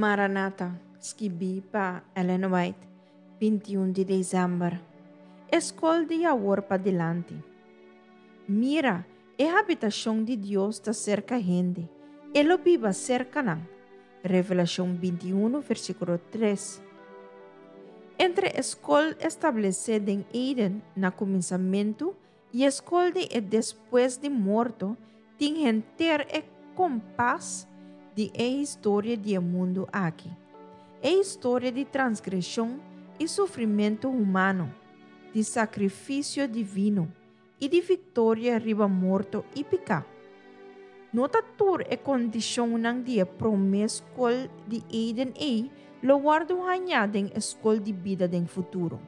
Maranata, skibí pa Ellen White, 21 di desèmber. E skol di awor padilanti. Mira, e habitashon di Dios ta serka hende, E lo biba serka nan. Revelashon 21, versíkulo 3. Entre e skol establesé den Eden na kuminsamentu i e skol di e despues di morto tin henter e kompas di e historia di e mundu aki, e historia di transgreshon i sufrimentu humano, di sakrifisio divino i di viktoria riba morto i piká. No ta tur e kondishonnan di e promé skol di Eden ei lo wòrdu hañá den e skol di bida den futuro.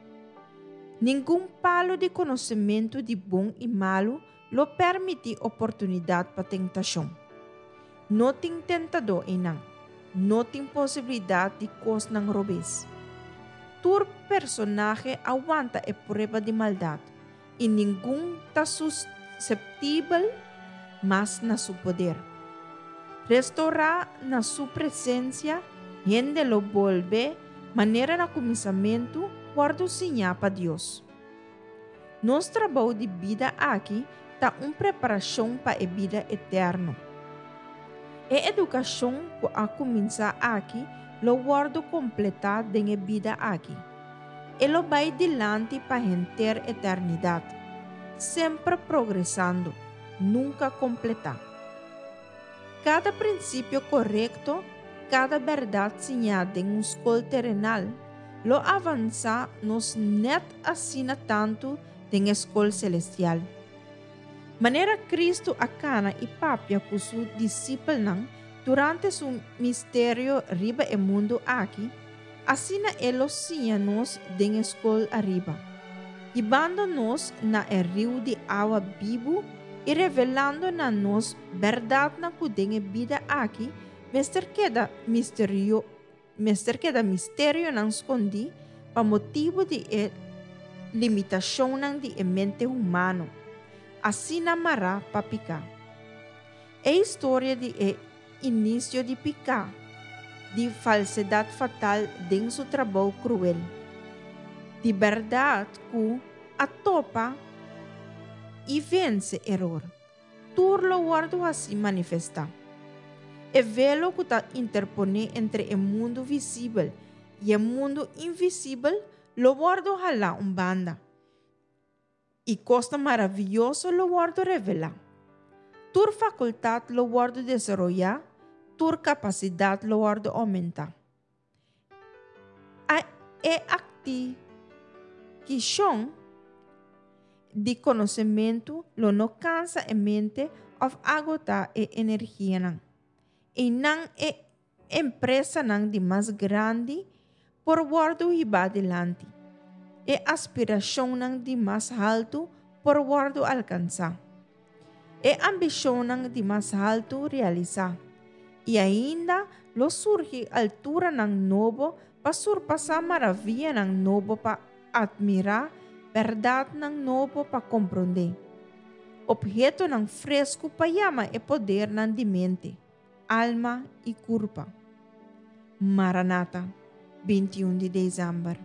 Ningun palu di konosementu di bon i malu lo permití oportunidat pa tentashon. No tin tentadó einan. No tin posibilidat di kosnan robes. Tur personahe a wanta e prueba di maldat, i ningun ta suseptibel mas na su poder. Restorá na su presensia, hende lo bolbe manera na kuminsamentu wòrdu siñá pa Dios. Nos trabou di bida aki ta un preparashon pa e bida eterno. E edukashon ku a kuminsá aki lo wòrdu kompletá den e bida aki. E lo bai dilanti pa henter eternidat, semper progresando, nunka kompletá. Kada prinsipio korekto, kada bèrdat siñá den un skol terenal, lo avansá nos nèt asina tantu den e skol selestial. Manera Kristu a kana i papia ku su disipelnan durante su misterio riba e mundu aki, asina e lo siña nos den e skol ariba, hibando nos na e riu di awa bibu i revelando na nos bèrdatnan ku den e bida aki mester keda misterio mester keda misterionan skondí pa motibu di e limitashonnan di e mente humano, asina mará pa piká. E historia di e inisio di piká, di falsedat fatal den su trabou kruel, di bèrdat ku a topa i vense eror, tur lo wòrdu hasi manifestá. E velo ku ta interponé entre e mundu visibel i e mundu invisibel lo wòrdu halá un banda, i kosnan maravioso lo wòrdu revelá. Tur fakultat lo wòrdu desaroyá, tur kapasidat lo wòrdu oumentá. A E aktikishon di konosementu lo no kansa e mente òf agotá e energianan. Einan e empresanan di mas grandi por wòrdu hibá dilanti. E aspirashonnan di mas haltu por wòrdu alkansá. E ambishonnan di mas haltu realisá. I ainda lo surgi alturanan nobo pa surpasá maravianan nobo pa atmirá, bèrdatnan nobo pa komprondé. Ophetonan fresku pa yama e podernan di mente. Alma i kurpa. Maranata, 21 di desèmber.